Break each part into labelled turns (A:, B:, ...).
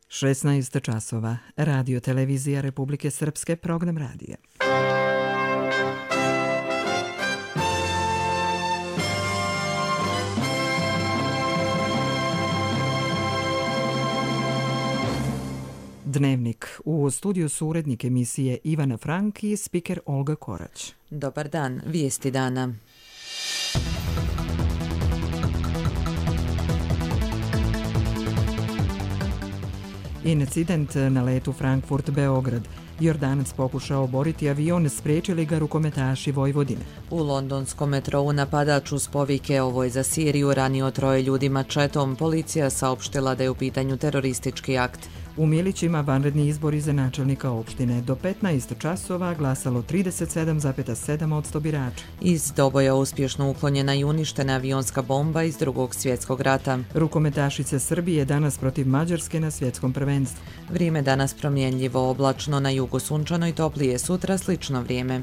A: 16 časova. Radio televizija Republike Srpske, program radija. Dnevnik. U studiju su urednik emisije Ivana Frank i spiker Olga Korać.
B: Dobar dan, vijesti dana.
A: Incident na letu Frankfurt-Beograd. Jordanac pokušao oboriti avion, spriječili ga rukometaši Vojvodine.
B: U londonskom metrou napadač uz povike "Ovo je za Siriju" ranio 3 ljudi mačetom. Policija saopštila da je u pitanju teroristički akt.
A: U Milićima vanredni izbori za načelnika opštine. Do 15 časova glasalo 37,7% birača.
B: Iz Doboja uspješno uklonjena i uništena avionska bomba iz Drugog svjetskog rata.
A: Rukometašice Srbije danas protiv Mađarske na svjetskom prvenstvu.
B: Vrijeme danas promjenljivo, oblačno, na jugu sunčano i toplije, sutra slično vrijeme.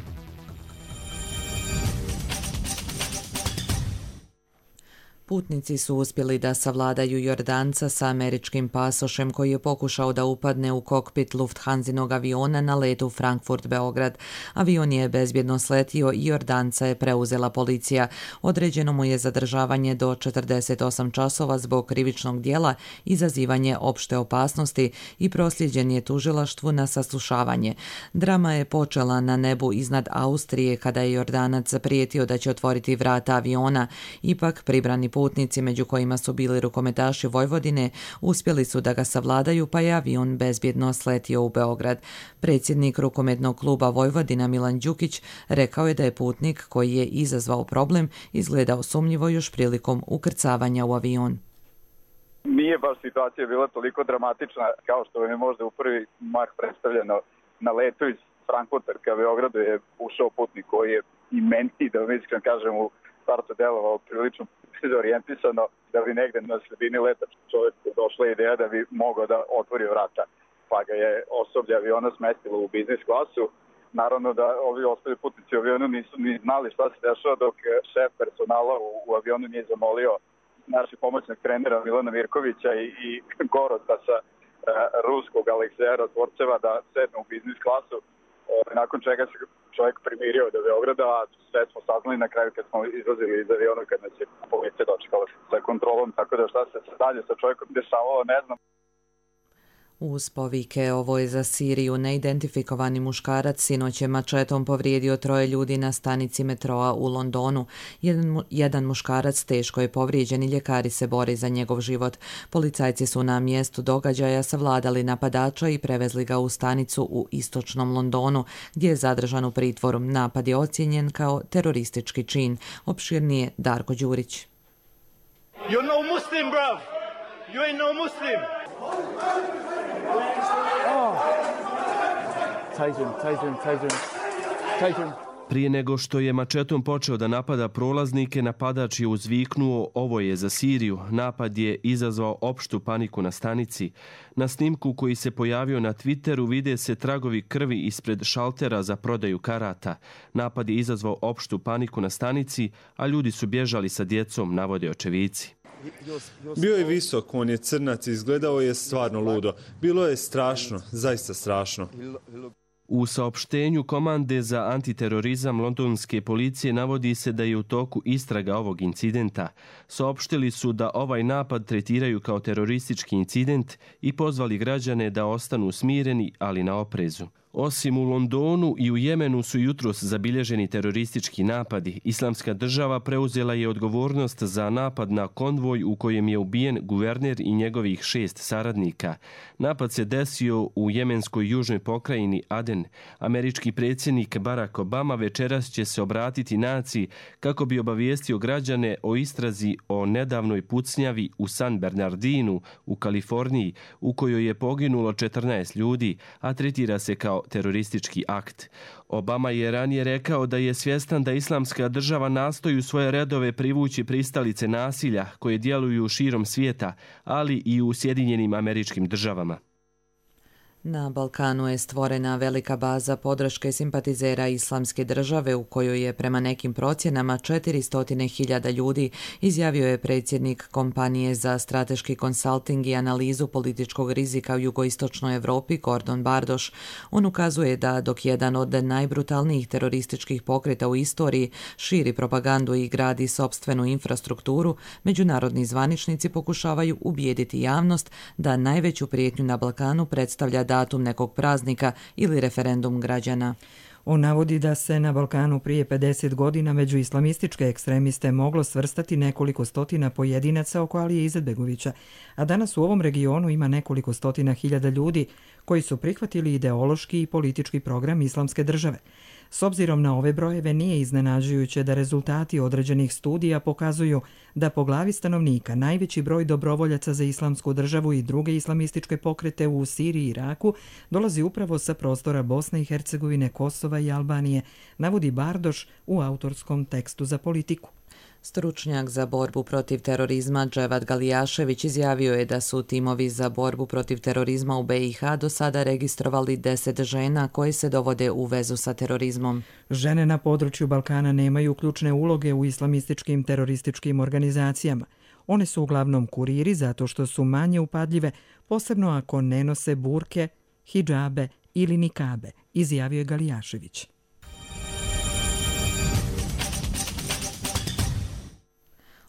B: Putnici su uspjeli da savladaju Jordanca sa američkim pasošem koji je pokušao da upadne u kokpit Lufthansinog aviona na letu Frankfurt-Beograd. Avion je bezbjedno sletio i Jordanca je preuzela policija. Određeno mu je zadržavanje do 48 časova zbog krivičnog djela, izazivanje opšte opasnosti i prosljeđen je tužilaštvu na saslušavanje. Drama je počela na nebu iznad Austrije kada je Jordanac prijetio da će otvoriti vrata aviona. Ipak pribrani putnici, među kojima su bili rukometaši Vojvodine, uspjeli su da ga savladaju, pa je avion bezbjedno sletio u Beograd. Predsjednik rukometnog kluba Vojvodina Milan Đukić rekao je da je putnik koji je izazvao problem izgledao sumnjivo još prilikom ukrcavanja u avion.
C: Nije baš situacija bila toliko dramatična kao što vam je možda u prvi mah predstavljeno. Na letu iz Frankfurta ka Beogradu je ušao putnik koji je i meni, da vam iskreno kažem, u startu delovao prilično orijentisano, da bi negde na sredini leta čovjeku došla ideja da bi mogao da otvori vrata. Pa ga je osoblje aviona smestilo u biznis klasu. Naravno da ovi ostali putnici u avionu nisu ni znali šta se dešava, dok šef personala u avionu nije zamolio našeg pomoćnog trenera Milana Mirkovića i Gorota sa ruskog Alekseja Razvorceva da sednu u biznis klasu. Nakon čega se čovjek primirio do Beograda, a sve smo saznali na kraju kad smo izlazili iz aviona, kad nas je policija dočekala sa kontrolom, tako da šta se dalje sa čovjekom dešavalo, ne znam.
B: Uz povike "Ovo je za Siriju" neidentifikovani muškarac sinoć je mačetom povrijedio 3 ljudi na stanici metroa u Londonu. Jedan muškarac teško je povrijeđen i ljekari se bore za njegov život. Policajci su na mjestu događaja savladali napadača i prevezli ga u stanicu u istočnom Londonu, gdje je zadržan u pritvoru. Napad je ocijenjen kao teroristički čin. Opširnije Darko Đurić.
D: You're no Muslim, bruv. You ain't no Muslim.
E: Prije nego što je mačetom počeo da napada prolaznike, napadač je uzviknuo "Ovo je za Siriju". Napad je izazvao opštu paniku na stanici. Na snimku koji se pojavio na Twitteru vide se tragovi krvi ispred šaltera za prodaju karata. Napad je izazvao opštu paniku na stanici, a ljudi su bježali sa djecom, navode očevici.
F: Bio je visok, on je crnac, izgledao je stvarno ludo. Bilo je strašno, zaista strašno.
E: U saopštenju komande za antiterorizam londonske policije navodi se da je u toku istraga ovog incidenta. Saopštili su da ovaj napad tretiraju kao teroristički incident i pozvali građane da ostanu smireni, ali na oprezu. Osim u Londonu i u Jemenu su jutros zabilježeni teroristički napadi. Islamska država preuzela je odgovornost za napad na konvoj u kojem je ubijen guverner i njegovih 6 saradnika. Napad se desio u jemenskoj južnoj pokrajini Aden. Američki predsjednik Barack Obama večeras će se obratiti naciji kako bi obavijestio građane o istrazi o nedavnoj pucnjavi u San Bernardinu u Kaliforniji, u kojoj je poginulo 14 ljudi, a tretira se kao teroristički akt. Obama je ranije rekao da je svjestan da Islamska država nastoji u svoje redove privući pristalice nasilja koje djeluju širom svijeta, ali i u Sjedinjenim Američkim Državama.
B: Na Balkanu je stvorena velika baza podrške simpatizera Islamske države u kojoj je prema nekim procjenama 400.000 ljudi, izjavio je predsjednik kompanije za strateški konsalting i analizu političkog rizika u jugoistočnoj Europi Gordon Bardoš. On ukazuje da dok jedan od najbrutalnijih terorističkih pokreta u istoriji širi propagandu i gradi sopstvenu infrastrukturu, međunarodni zvaničnici pokušavaju ubijediti javnost da najveću prijetnju na Balkanu predstavlja datum nekog praznika ili referendum građana.
A: On navodi da se na Balkanu prije 50 godina među islamističke ekstremiste moglo svrstati nekoliko stotina pojedinaca oko Alije Izetbegovića, a danas u ovom regionu ima nekoliko stotina hiljada ljudi koji su prihvatili ideološki i politički program Islamske države. S obzirom na ove brojeve nije iznenađujuće da rezultati određenih studija pokazuju da po glavi stanovnika najveći broj dobrovoljaca za Islamsku državu i druge islamističke pokrete u Siriji i Iraku dolazi upravo sa prostora Bosne i Hercegovine, Kosova i Albanije, navodi Bardoš u autorskom tekstu za Politiku.
B: Stručnjak za borbu protiv terorizma Dževad Galijašević izjavio je da su timovi za borbu protiv terorizma u BiH do sada registrovali 10 žena koje se dovode u vezu sa terorizmom.
A: Žene na području Balkana nemaju ključne uloge u islamističkim terorističkim organizacijama. One su uglavnom kuriri zato što su manje upadljive, posebno ako ne nose burke, hidžabe ili nikabe, izjavio je Galijašević.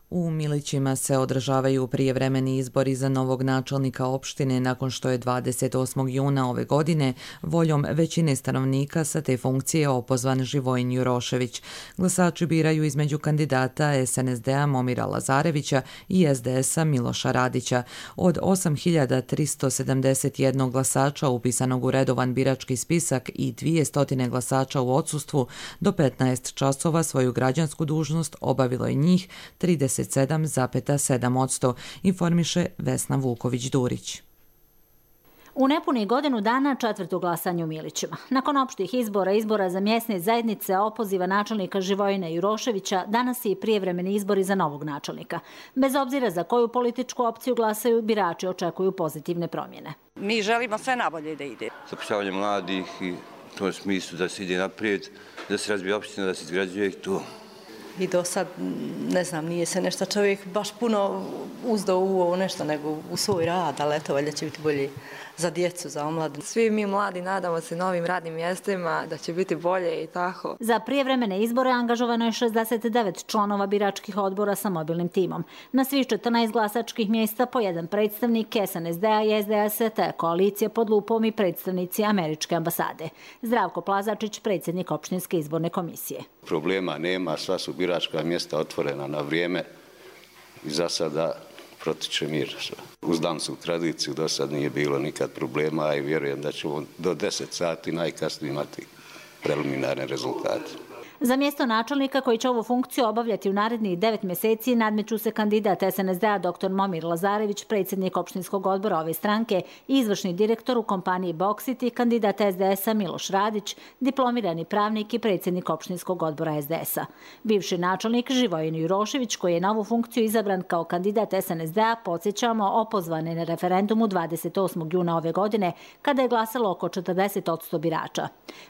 B: U Milićima se održavaju prijevremeni izbori za novog načelnika opštine nakon što je 28. juna ove godine voljom većine stanovnika sa te funkcije opozvan Živojin Jurošević. Glasači biraju između kandidata SNSD-a Momira Lazarevića i SDS-a Miloša Radića. Od 8.371 glasača upisanog u redovan birački spisak i 200 glasača u odsustvu, do 15 časova svoju građansku dužnost obavilo je njih 37,7%, informiše Vesna Vuković-Durić.
G: U nepunih godinu dana četvrto glasanje u Milićima. Nakon opštih izbora za mjesne zajednice, opoziva načelnika Živojina Juroševića, danas i prijevremeni izbori za novog načelnika. Bez obzira za koju političku opciju glasaju, birači očekuju pozitivne promjene.
H: Mi želimo sve nabolje da ide.
I: Zapošljavanje mladih i u tom smislu da se ide naprijed, da se razvije opština, da se izgrađuje to.
H: I do sad, ne znam, nije se nešto čovjek baš puno uzdao u ovo nešto, nego u svoj rad, ali eto, valjda će biti bolje za djecu, za omladinu.
J: Svi mi mladi nadamo se novim radnim mjestima, da će biti bolje i tako.
G: Za prijevremene izbore angažovano je 69 članova biračkih odbora sa mobilnim timom. Na svih 14 glasačkih mjesta po jedan predstavnik SNSD-a i SDS-a, te koalicije pod lupom i predstavnici Američke ambasade. Zdravko Plazačić, predsjednik opštinske izborne komisije.
K: Problema nema, sva su biračka mjesta otvorena na vrijeme i za sada protiče mir. Uz dansku tradiciju do sad nije bilo nikad problema i vjerujem da ćemo do 10 sati najkasnije imati preliminarne rezultate.
G: Za mjesto načelnika koji će ovu funkciju obavljati u narednih 9 mjeseci nadmeću se kandidat SNSD-a dr. Momir Lazarević, predsjednik opštinskog odbora ove stranke i izvršni direktor u kompaniji Boksit i kandidat SDS-a Miloš Radić, diplomirani pravnik i predsjednik opštinskog odbora SDS-a. Bivši načelnik Živojin Jurošević, koji je na ovu funkciju izabran kao kandidat SNSD-a, podsjećamo, opozvan je na referendumu 28. juna ove godine, kada je glasalo oko 40% birača.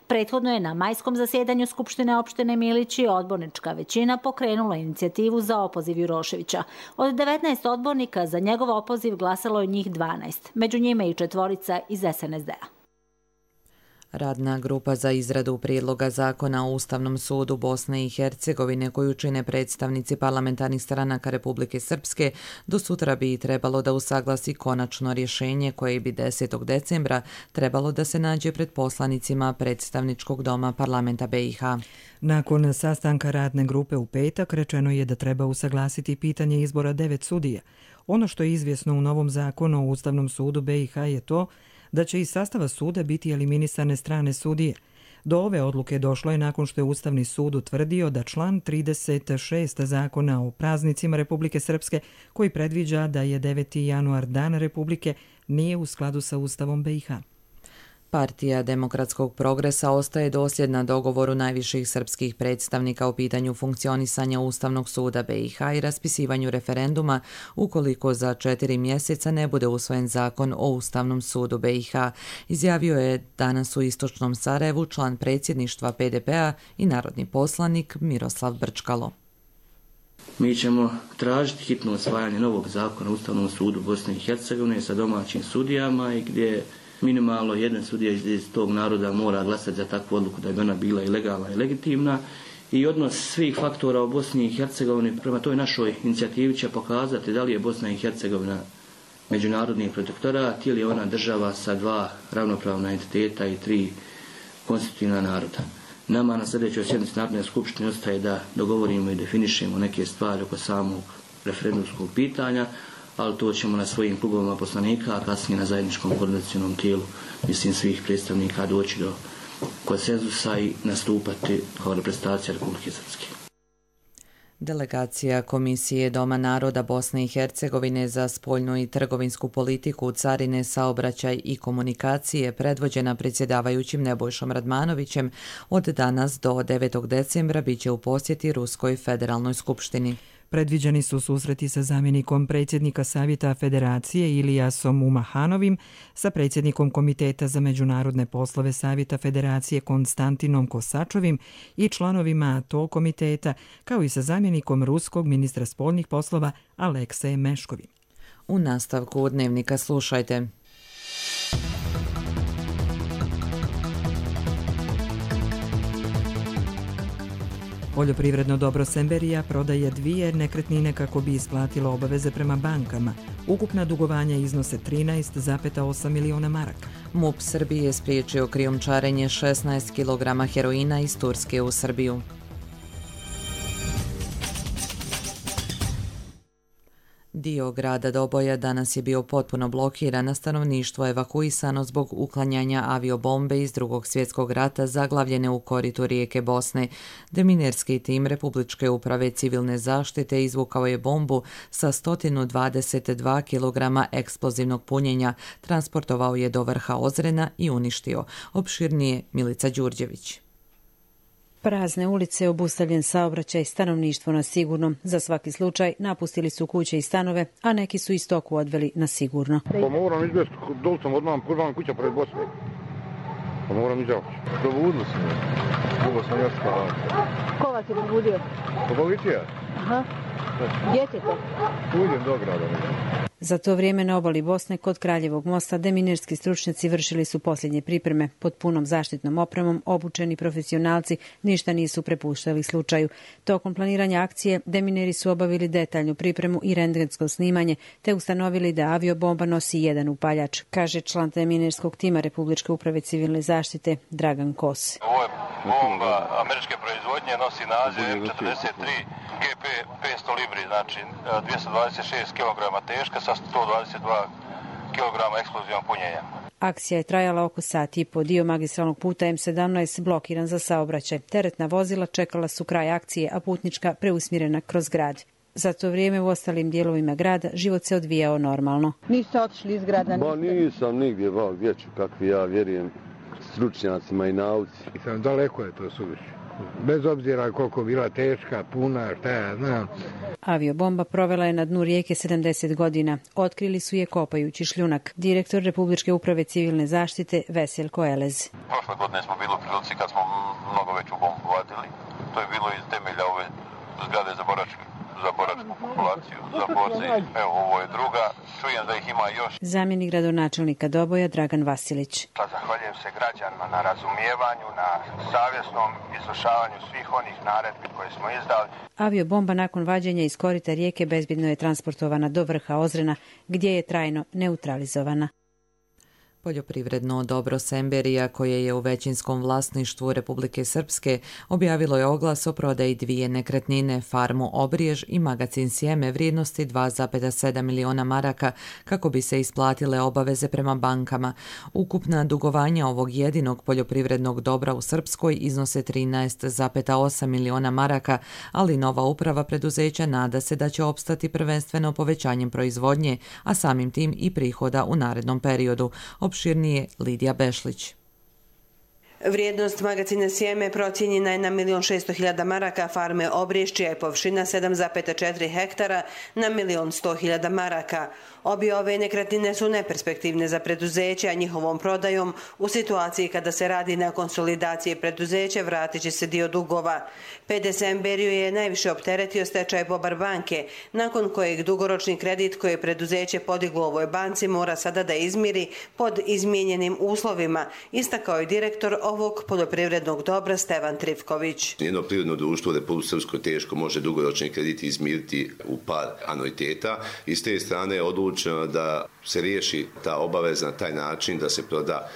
G: Prethodno je na majskom zasjedanju Skupštine opštine Milići odbornička većina pokrenula inicijativu za opoziv Juroševića. Od 19 odbornika za njegov opoziv glasalo je njih 12, među njima i 4 iz SNSD-a.
B: Radna grupa za izradu prijedloga zakona o Ustavnom sudu Bosne i Hercegovine, koju čine predstavnici parlamentarnih stranaka Republike Srpske, do sutra bi trebalo da usaglasi konačno rješenje koje bi 10. decembra trebalo da se nađe pred poslanicima predstavničkog doma parlamenta BiH.
A: Nakon sastanka radne grupe u petak rečeno je da treba usaglasiti pitanje izbora 9 sudija. Ono što je izvjesno u novom zakonu o Ustavnom sudu BiH je to da će iz sastava suda biti eliminisane strane sudije. Do ove odluke došlo je nakon što je Ustavni sud utvrdio da član 36 zakona o praznicima Republike Srpske, koji predviđa da je 9. januar dan Republike, nije u skladu sa Ustavom BiH.
B: Partija Demokratskog progresa ostaje dosljedna dogovoru najviših srpskih predstavnika o pitanju funkcionisanja Ustavnog suda BiH i raspisivanju referenduma ukoliko za 4 mjeseca ne bude usvojen zakon o Ustavnom sudu BiH, izjavio je danas u istočnom Sarajevu član predsjedništva PDP-a i narodni poslanik Miroslav Brčkalo.
L: Mi ćemo tražiti hitno usvajanje novog zakona o Ustavnom sudu Bosne i Hercegovine sa domaćim sudijama i gdje minimalno jedan sudija iz tog naroda mora glasati za takvu odluku da bi ona bila i legalna i legitimna. I odnos svih faktora u Bosni i Hercegovini prema toj našoj inicijativi će pokazati da li je Bosna i Hercegovina međunarodni protektorat ili je ona država sa 2 ravnopravna entiteta i 3 konstitutivna naroda. Nama na sljedećoj sjednici Narodne skupštine ostaje da dogovorimo i definišemo neke stvari oko samog referendumskog pitanja, ali to ćemo na svojim klubovima poslanika, a kasnije na zajedničkom koordinacionom tijelu, mislim, svih predstavnika doći do konsenzusa i nastupati kao reprezentacija Republike Srpske.
B: Delegacija Komisije Doma naroda Bosne i Hercegovine za spoljnu i trgovinsku politiku, carine, saobraćaj i komunikacije, predvođena predsjedavajućim Nebojšom Radmanovićem, od danas do 9. decembra biće u posjeti Ruskoj federalnoj skupštini.
A: Predviđeni su susreti sa zamjenikom predsjednika Savjeta Federacije Ilijasom Umahanovim, sa predsjednikom Komiteta za međunarodne poslove Savjeta Federacije Konstantinom Kosačovim i članovima tog komiteta, kao i sa zamjenikom ruskog ministra spoljnih poslova Aleksejem Meškovim.
B: U nastavku dnevnika slušajte.
A: Poljoprivredno dobro Semberija prodaje 2 nekretnine kako bi isplatilo obaveze prema bankama. Ukupna dugovanja iznose 13,8 miliona maraka.
B: MUP Srbije je spriječio krijumčarenje 16 kg heroina iz Turske u Srbiju. Dio grada Doboja danas je bio potpuno blokiran, a stanovništvo evakuisano zbog uklanjanja aviobombe iz Drugog svjetskog rata zaglavljene u koritu rijeke Bosne. Deminerski tim Republičke uprave civilne zaštite izvukao je bombu sa 122 kg eksplozivnog punjenja, transportovao je do vrha Ozrena i uništio. Opširnije Milica Đurđević.
M: Prazne ulice, obustavljen saobraćaj, stanovništvo na sigurno. Za svaki slučaj napustili su kuće i stanove, a neki su i stoku odveli na sigurno.
N: Pa moram izbjeti, dol sam odmah, prva kuća pred Bosne. Pa moram izbjeti. Probudili su me. Dugo sam još spavao.
M: Ko vas je probudio?
N: Policija.
M: Aha. Gdje ćete?
N: Uđem do grada.
M: Za to vrijeme na obali Bosne kod Kraljevog mosta deminerski stručnjaci vršili su posljednje pripreme. Pod punom zaštitnom opremom obučeni profesionalci ništa nisu prepuštali slučaju. Tokom planiranja akcije demineri su obavili detaljnu pripremu i rentgensko snimanje te ustanovili da aviobomba nosi jedan upaljač, kaže član deminerskog tima Republičke uprave civilne zaštite Dragan Kos.
O: Ovo je bomba američke proizvodnje, nosi naziv M43 GP 500 libri, znači 226 kg teška sa 122 kg eksplozivnog punjenja.
M: Akcija je trajala oko sat i po. Dio magistralnog puta M17 blokiran za saobraćaj. Teretna vozila čekala su kraj akcije, a putnička preusmjerena kroz grad. Za to vrijeme u ostalim dijelovima grada život se odvijao normalno.
P: Niste otišli iz grada?
Q: Ba nisam nigdje, gdje ću, kakvi ja vjerujem stručnjacima i nauci.
N: Daleko je to suviše. Bez obzira koliko bila teška, puna, šta ja znam.
M: Aviobomba provela je na dnu rijeke 70 godina. Otkrili su je kopajući šljunak. Direktor Republičke uprave civilne zaštite Veseljko Elez.
O: Prošle godine smo bili u prilici kad smo mnogo veću bombu vadili. To je bilo iz temelja ove zgrade za boračku populaciju, za borce. Evo, ovo je druga. Čujem da ih ima još.
M: Zamjenik gradonačelnika Doboja Dragan Vasilić.
O: Zahvaljujem se građanima na razumijevanju, na savjesnom izvršavanju svih onih naredbi koje smo izdali.
M: Aviobomba nakon vađenja iz korita rijeke bezbjedno je transportovana do vrha Ozrena, gdje je trajno neutralizovana.
B: Poljoprivredno dobro Semberija, koje je u većinskom vlasništvu Republike Srpske, objavilo je oglas o prodaji 2 nekretnine, farmu Obrijež i magacin sjeme vrijednosti 2,7 miliona maraka kako bi se isplatile obaveze prema bankama. Ukupna dugovanja ovog jedinog poljoprivrednog dobra u Srpskoj iznose 13,8 miliona maraka, ali nova uprava preduzeća nada se da će opstati prvenstveno povećanjem proizvodnje, a samim tim i prihoda u narednom periodu. Opširnije Lidija Bešlić.
P: Vrijednost magacina sjeme procijenjena je na 1.600.000 maraka, farme Obriš, čija je površina 7,4 hektara, na 1.100.000 maraka. Obje ove nekretnine su neperspektivne za preduzeće, a njihovom prodajom u situaciji kada se radi na konsolidaciji preduzeća vratit će se dio dugova. PDS Emberiju je najviše opteretio stečaj Bobar banke, nakon kojeg dugoročni kredit koji je preduzeće podiglo u ovoj banci mora sada da izmiri pod izmijenjenim uslovima, istakao je direktor ovog poljoprivrednog dobra Stevan Trivković.
R: Jedno privredno društvo u Republici Srpskoj teško može dugoročni kredit izmiriti u par anuiteta i s te strane je odlučeno da se riješi ta obaveza na taj način da se proda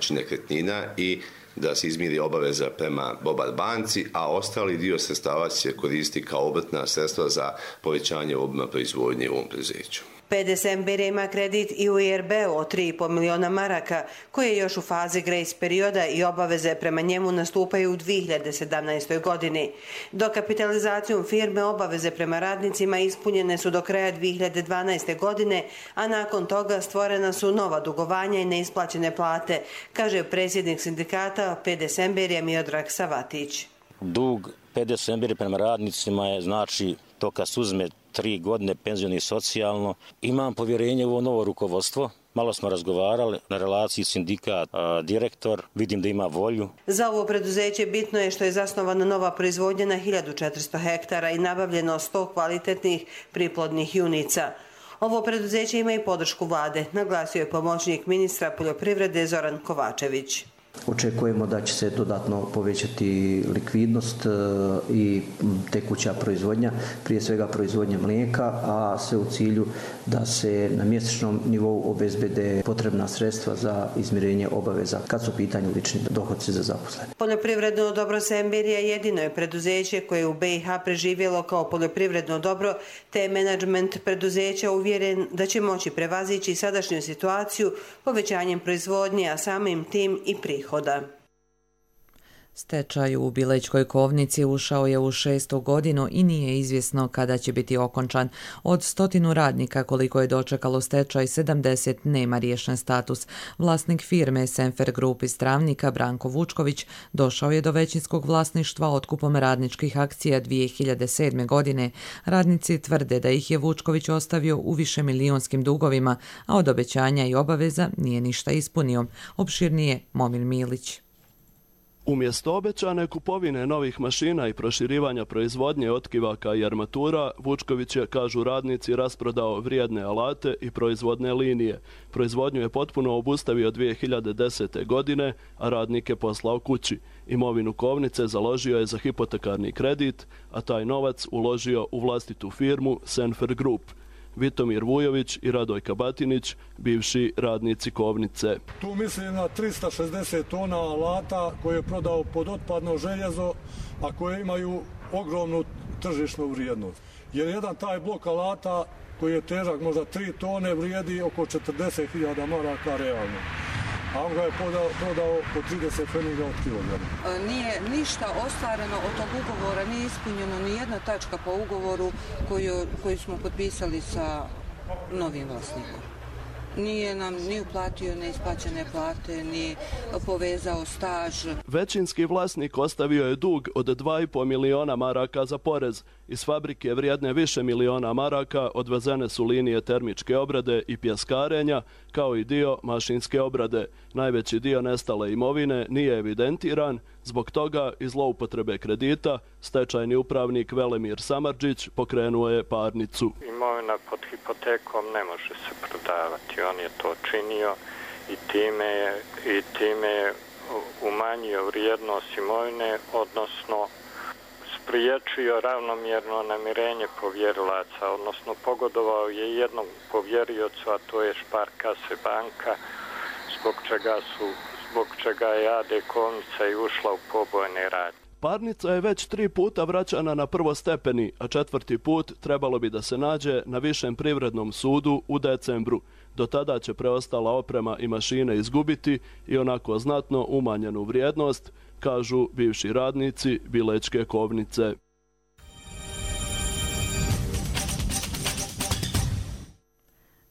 R: nekretnina i da se izmiri obaveza prema Bobar banci, a ostali dio sredstava će koristiti kao obrtna sredstva za povećanje obima proizvodnje u ovom preduzeću.
P: PDS Emberija ima kredit i u IRB-u od 3,5 miliona maraka, koji je još u fazi grace perioda i obaveze prema njemu nastupaju u 2017. godini. Dokapitalizacijom firme obaveze prema radnicima ispunjene su do kraja 2012. godine, a nakon toga stvorena su nova dugovanja i neisplaćene plate, kaže predsjednik sindikata PDS Emberija Miodrag Savatić.
S: Dug PDS Emberija prema radnicima je znači to kad se uzme 3 godine penzioni i socijalno. Imam povjerenje u ovo novo rukovodstvo. Malo smo razgovarali na relaciji sindikat, direktor, vidim da ima volju.
P: Za ovo preduzeće bitno je što je zasnovana nova proizvodnja na 1400 hektara i nabavljeno 100 kvalitetnih priplodnih junica. Ovo preduzeće ima i podršku vlade, naglasio je pomoćnik ministra poljoprivrede Zoran Kovačević.
T: Očekujemo da će se dodatno povećati likvidnost i tekuća proizvodnja, prije svega proizvodnja mlijeka, a sve u cilju da se na mjesečnom nivou obezbede potrebna sredstva za izmirenje obaveza kad su u pitanju lični dohodci za zaposlene.
P: Poljoprivredno dobro Emberija jedino je preduzeće koje je u BiH preživjelo kao poljoprivredno dobro, te je menadžment preduzeća uvjeren da će moći prevazići sadašnju situaciju povećanjem proizvodnje, a samim tim i prihoda.
B: Stečaj u Bilećkoj Kovnici ušao je u 6. godinu i nije izvjesno kada će biti okončan. Od 100 radnika koliko je dočekalo stečaj, 70 nema riješen status. Vlasnik firme Senfer Group iz Travnika, Branko Vučković, došao je do većinskog vlasništva otkupom radničkih akcija 2007. godine. Radnici tvrde da ih je Vučković ostavio u višemilijonskim dugovima, a od obećanja i obaveza nije ništa ispunio. Opširnije Momir Milić.
E: Umjesto obećane kupovine novih mašina i proširivanja proizvodnje otkivaka i armatura, Vučković je, kažu radnici, rasprodao vrijedne alate i proizvodne linije. Proizvodnju je potpuno obustavio 2010. godine, a radnike poslao kući. Imovinu Kovnice založio je za hipotekarni kredit, a taj novac uložio u vlastitu firmu Senfer Group. Vitomir Vujović i Radojka Batinić, bivši radnici Kovnice.
U: Tu mislim na 360 tona alata koje je prodao pod otpadno željezo, a koje imaju ogromnu tržišnu vrijednost. Jer jedan taj blok alata koji je težak možda 3 tone vrijedi oko 40.000 maraka realno. A on ga je prodao po 30 pfeniga od kilograma.
V: Nije ništa ostvareno od tog ugovora, nije ispunjeno ni jedna tačka po ugovoru koju smo potpisali sa novim vlasnikom. Nije nam ni uplatio neisplaćene plate, ni povezao staž.
E: Većinski vlasnik ostavio je dug od 2,5 miliona maraka za porez. Iz fabrike vrijedne više miliona maraka odvezene su linije termičke obrade i pjeskarenja, kao i dio mašinske obrade. Najveći dio nestale imovine nije evidentiran, zbog toga i zloupotrebe kredita stečajni upravnik Velemir Samardžić pokrenuo je parnicu.
W: Imovina pod hipotekom ne može se prodavati, on je to činio i time je umanjio vrijednost imovine, odnosno spriječio ravnomjerno namirenje povjerilaca, odnosno pogodovao je jednom povjeriocu, a to je Šparkase banka, zbog čega je AD Kovnica i ušla u pobojne radnje.
E: Parnica je već 3 puta vraćana na prvostepeni, a 4. put trebalo bi da se nađe na Višem privrednom sudu u decembru. Do tada će preostala oprema i mašine izgubiti i onako znatno umanjenu vrijednost, kažu bivši radnici Bilećke Kovnice.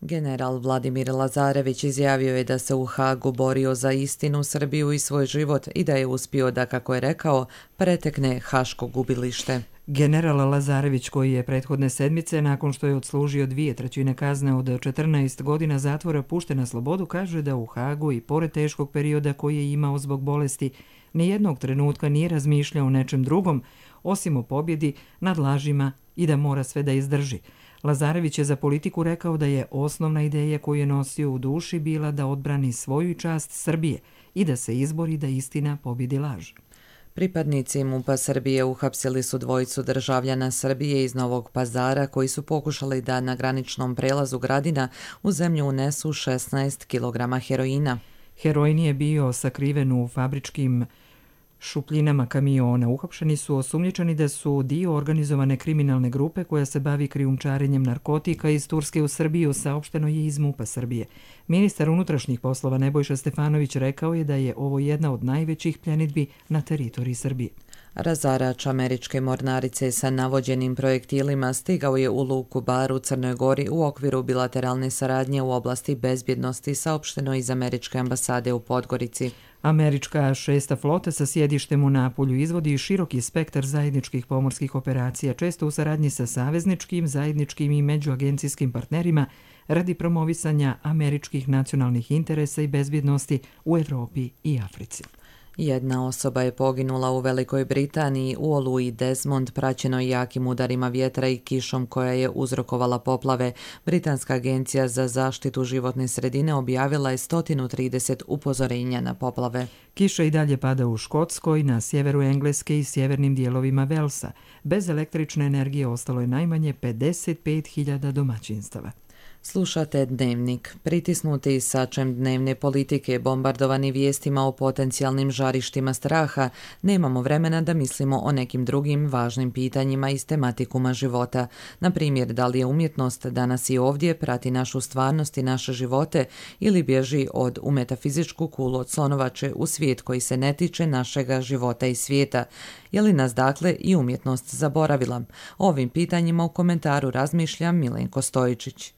B: General Vladimir Lazarević izjavio je da se u Hagu borio za istinu, Srbiju i svoj život i da je uspio da, kako je rekao, pretekne haško gubilište.
A: General Lazarević, koji je prethodne sedmice, nakon što je odslužio 2/3 kazne od 14 godina zatvora, pušten na slobodu, kaže da u Hagu i pored teškog perioda koji je imao zbog bolesti, nijednog trenutka nije razmišljao o nečem drugom, osim o pobjedi nad lažima i da mora sve da izdrži. Lazarević je za Politiku rekao da je osnovna ideja koju je nosio u duši bila da odbrani svoju i čast Srbije i da se izbori da istina pobjedi laž.
B: Pripadnici MUP-a Srbije uhapsili su dvojicu državljana Srbije iz Novog Pazara koji su pokušali da na graničnom prelazu Gradina u zemlju unesu 16 kg heroina.
A: Heroin je bio sakriven u fabričkim šupljinama kamiona. Uhapšeni su osumnjičeni da su dio organizovane kriminalne grupe koja se bavi krijumčarenjem narkotika iz Turske u Srbiju, saopšteno je iz MUP-a Srbije. Ministar unutrašnjih poslova Nebojša Stefanović rekao je da je ovo jedna od najvećih pljenidbi na teritoriji Srbije.
B: Razarač američke mornarice sa navođenim projektilima stigao je u luku Bar u Crnoj Gori u okviru bilateralne saradnje u oblasti bezbjednosti, saopšteno iz američke ambasade u Podgorici.
A: Američka 6. flota sa sjedištem u Napulju izvodi široki spektar zajedničkih pomorskih operacija, često u saradnji sa savezničkim, zajedničkim i međuagencijskim partnerima radi promovisanja američkih nacionalnih interesa i bezbjednosti u Evropi i Africi.
B: Jedna osoba je poginula u Velikoj Britaniji u oluji Desmond, praćenoj jakim udarima vjetra i kišom koja je uzrokovala poplave. Britanska agencija za zaštitu životne sredine objavila je 130 upozorenja na poplave.
A: Kiša i dalje pada u Škotskoj, na sjeveru Engleske i sjevernim dijelovima Velsa. Bez električne energije ostalo je najmanje 55.000 domaćinstava.
B: Slušate Dnevnik. Pritisnuti sačem dnevne politike, bombardovani vijestima o potencijalnim žarištima straha, nemamo vremena da mislimo o nekim drugim važnim pitanjima iz tematikuma života. Na primjer, da li je umjetnost danas i ovdje, prati našu stvarnost i naše živote ili bježi u metafizičku kulu od slonovače u svijet koji se ne tiče našega života i svijeta. Je li nas dakle i umjetnost zaboravila? O ovim pitanjima u komentaru razmišlja Milenko Stojičić.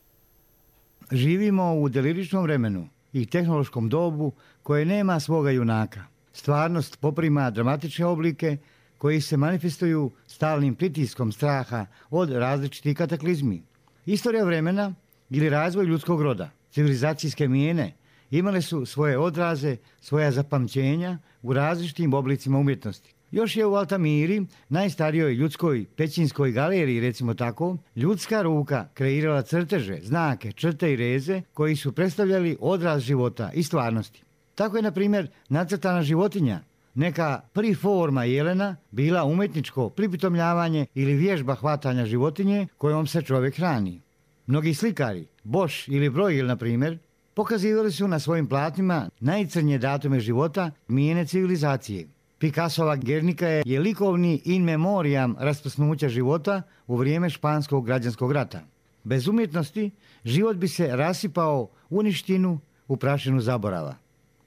C: Živimo u deliričnom vremenu i tehnološkom dobu koje nema svoga junaka. Stvarnost poprima dramatične oblike koji se manifestuju stalnim pritiskom straha od različitih kataklizmi. Istorija vremena ili razvoj ljudskog roda, civilizacijske mijene imale su svoje odraze, svoja zapamćenja u različitim oblicima umjetnosti. Još je u Altamiri, najstarijoj ljudskoj pećinskoj galeriji, recimo tako, ljudska ruka kreirala crteže, znake, črte i reze koji su predstavljali odraz života i stvarnosti. Tako je, na primjer, nacrtana životinja, neka priforma jelena, bila umjetničko pripitomljavanje ili vježba hvatanja životinje kojom se čovjek hrani. Mnogi slikari, Bosch ili Bruegel, na primjer, pokazivali su na svojim platnima najcrnje datume života mijene civilizacije. Picassova Guernica je likovni in memoriam rasprsnuća života u vrijeme španskog građanskog rata. Bez umjetnosti život bi se rasipao u ništinu, u prašinu zaborava.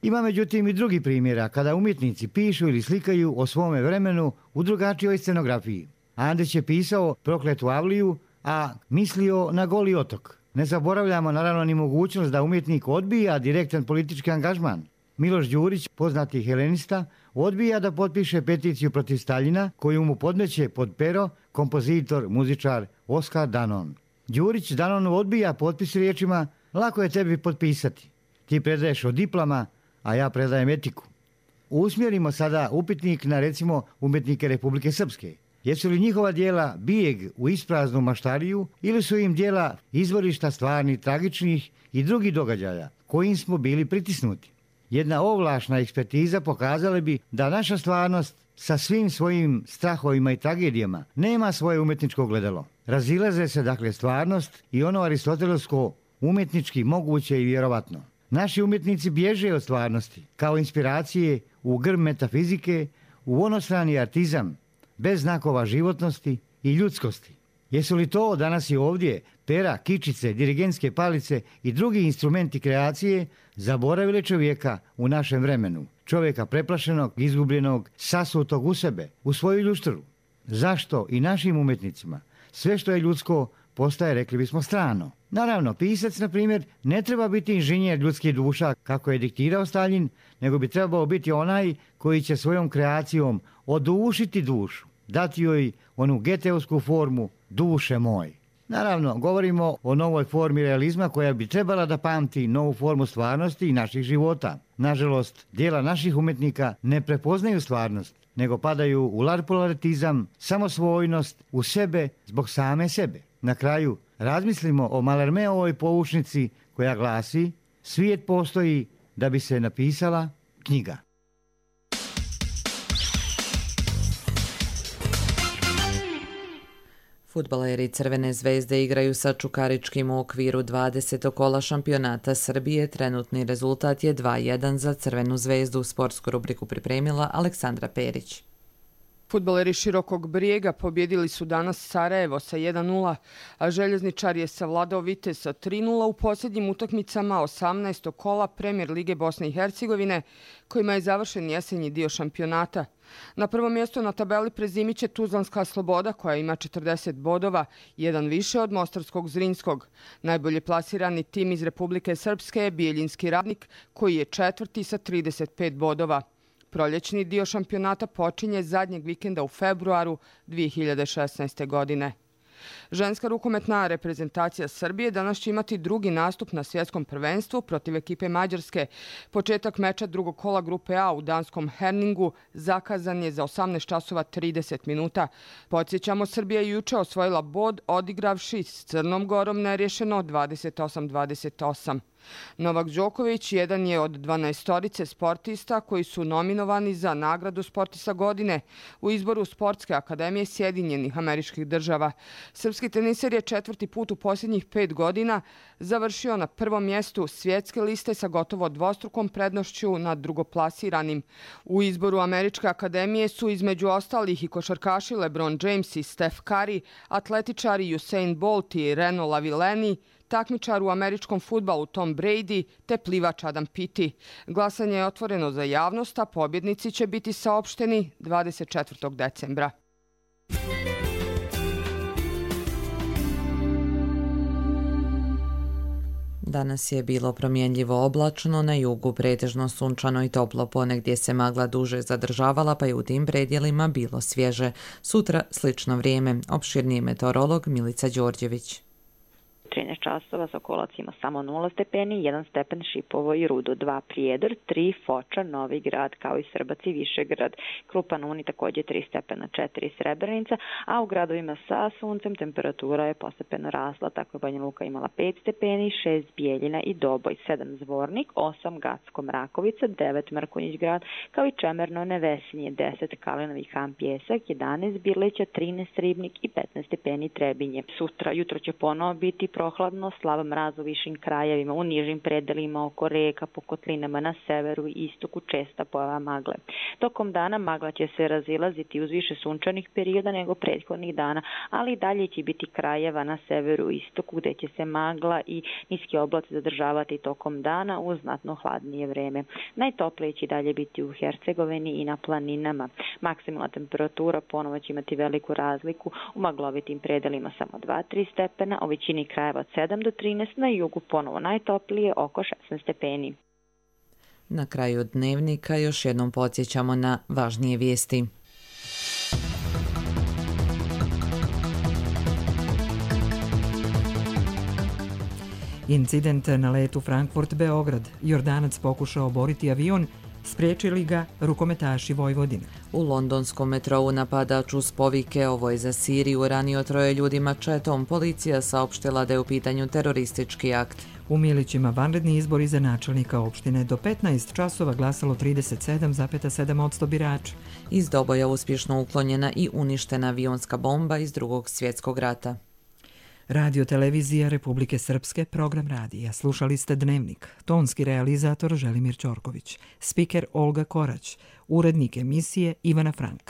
C: Ima međutim i drugi primjera kada umjetnici pišu ili slikaju o svome vremenu u drugačijoj scenografiji. Andrić je pisao Prokletu Avliju, a mislio na Goli otok. Ne zaboravljamo naravno ni mogućnost da umjetnik odbija direktan politički angažman. Miloš Đurić, poznati helenista, odbija da potpiše peticiju protiv Staljina koju mu podmeće pod pero kompozitor, muzičar Oskar Danon. Đurić Danonu odbija potpis riječima: lako je tebi potpisati. Ti predaješ o diploma, a ja predajem etiku. Usmjerimo sada upitnik na, recimo, umjetnike Republike Srpske. Jesu li njihova djela bijeg u ispraznu maštariju ili su im djela izvorišta stvarnih, tragičnih i drugih događaja kojim smo bili pritisnuti? Jedna ovlašna ekspertiza pokazala bi da naša stvarnost sa svim svojim strahovima i tragedijama nema svoje umjetničko gledalo. Razilaze se dakle stvarnost i ono aristotelevsko umjetnički moguće i vjerovatno. Naši umjetnici bježe od stvarnosti kao inspiracije u grm metafizike, u onostrani artizam, bez znakova životnosti i ljudskosti. Jesu li to danas i ovdje pera, kičice, dirigentske palice i drugi instrumenti kreacije zaboravili čovjeka u našem vremenu? Čovjeka preplašenog, izgubljenog, sasutog u sebe, u svoju ljuštru. Zašto i našim umjetnicima sve što je ljudsko postaje, rekli bismo, strano. Naravno, pisac, na primjer, ne treba biti inženjer ljudskih duša kako je diktirao Staljin, nego bi trebao biti onaj koji će svojom kreacijom odušiti dušu, dati joj onu geteovsku formu duše moj. Naravno, govorimo o novoj formi realizma koja bi trebala da pamti novu formu stvarnosti i naših života. Nažalost, dijela naših umjetnika ne prepoznaju stvarnost, nego padaju u larpularitizam, samosvojnost, u sebe zbog same sebe. Na kraju, razmislimo o Malermeovoj poučnici koja glasi: svijet postoji da bi se napisala knjiga.
B: Fudbaleri Crvene zvezde igraju sa Čukaričkim u okviru 20. kola šampionata Srbije. Trenutni rezultat je 2:1 za Crvenu zvezdu. Sportsku rubriku pripremila Aleksandra Perić.
D: Fudbaleri Širokog Brijega pobjedili su danas Sarajevo sa 1:0, a Željezničar je savladao Vitez sa 3:0 u posljednjim utakmicama 18. kola Premijer Lige Bosne i Hercegovine, kojima je završen jesenji dio šampionata. Na prvom mjestu na tabeli prezimiće Tuzlanska Sloboda koja ima 40 bodova, jedan više od mostarskog Zrinskog. Najbolje plasirani tim iz Republike Srpske je Bijeljinski Radnik koji je četvrti sa 35 bodova. Proljećni dio šampionata počinje zadnjeg vikenda u februaru 2016. godine. Ženska rukometna reprezentacija Srbije danas će imati drugi nastup na svjetskom prvenstvu protiv ekipe Mađarske. Početak meča drugog kola grupe A u danskom Herningu zakazan je za 18:30 minuta. Podsjećamo, Srbija je juče osvojila bod odigravši s Crnom Gorom nerješeno 28-28. Novak Đoković jedan je od 12 sportista koji su nominovani za nagradu Sportista godine u izboru Sportske akademije Sjedinjenih Američkih Država. Srpski teniser je četvrti put u posljednjih 5 godina završio na prvom mjestu svjetske liste sa gotovo dvostrukom prednošću nad drugoplasiranim. U izboru Američke akademije su između ostalih i košarkaši LeBron James i Steph Curry, atletičari Usain Bolt i Reno Lavilleni, takmičar u američkom fudbalu Tom Brady te plivač Adam Peaty. Glasanje je otvoreno za javnost, a pobjednici će biti saopšteni 24. decembra.
B: Danas je bilo promjenljivo oblačno, na jugu pretežno sunčano i toplo, ponegdje se magla duže zadržavala, pa je u tim predjelima bilo svježe. Sutra slično vrijeme, opširniji meteorolog Milica Đorđević.
F: 13 časova Sokolac ima samo 0 stepeni, 1 stepen Šipovo i Rudo, 2 Prijedor, 3 Foča, Novi Grad, kao i Srbac i Višegrad. Krupan Uni također 3 stepena, 4 Srebrenica, a u gradovima sa suncem temperatura je postepeno rasla, tako je Banja Luka imala 5 stepeni, 6 Bijeljina i Doboj, 7 Zvornik, 8 Gacko Mrakovica, 9 Mrkonjić Grad, kao i Čemerno Nevesinje, 10 Kalinovi Han Pjesak, 11 Birleća, 13 Ribnik i 15 stepeni Trebinje. Sutra jutro će ponovo biti prohladno, slab mraz u višim krajevima, u nižim predelima oko reka, po kotlinama na severu i istoku česta pojava magle. Tokom dana magla će se razilaziti uz više sunčanih perioda nego prethodnih dana, ali i dalje će biti krajeva na severu i istoku gdje će se magla i niski oblaci zadržavati tokom dana uz znatno hladnije vreme. Najtoplije će dalje biti u Hercegovini i na planinama. Maksimalna temperatura ponovo će imati veliku razliku, u maglovitim predelima samo 2-3 stepena, u većini krajeva od 7 do 13, na jugu ponovo najtoplije oko 16 stepeni.
B: Na kraju dnevnika još jednom podsjećamo na važnije vijesti.
A: Incident na letu Frankfurt-Beograd. Jordanac pokušao oboriti avion, spriječili ga rukometaši Vojvodine.
B: U londonskom metrou napadač uz povike "Ovo je za Siriju" ranio 3 ljudi mačetom. Policija saopštila da je u pitanju teroristički akt.
A: U Milićima vanredni izbori za načelnika opštine. Do 15 časova glasalo 37,7% birača.
B: Iz Doboja uspješno uklonjena i uništena avionska bomba iz Drugog svjetskog rata.
A: Radio televizija Republike Srpske, program radija. Slušali ste Dnevnik. Tonski realizator Želimir Ćorković. Spiker Olga Korać. Urednik emisije Ivana Frank.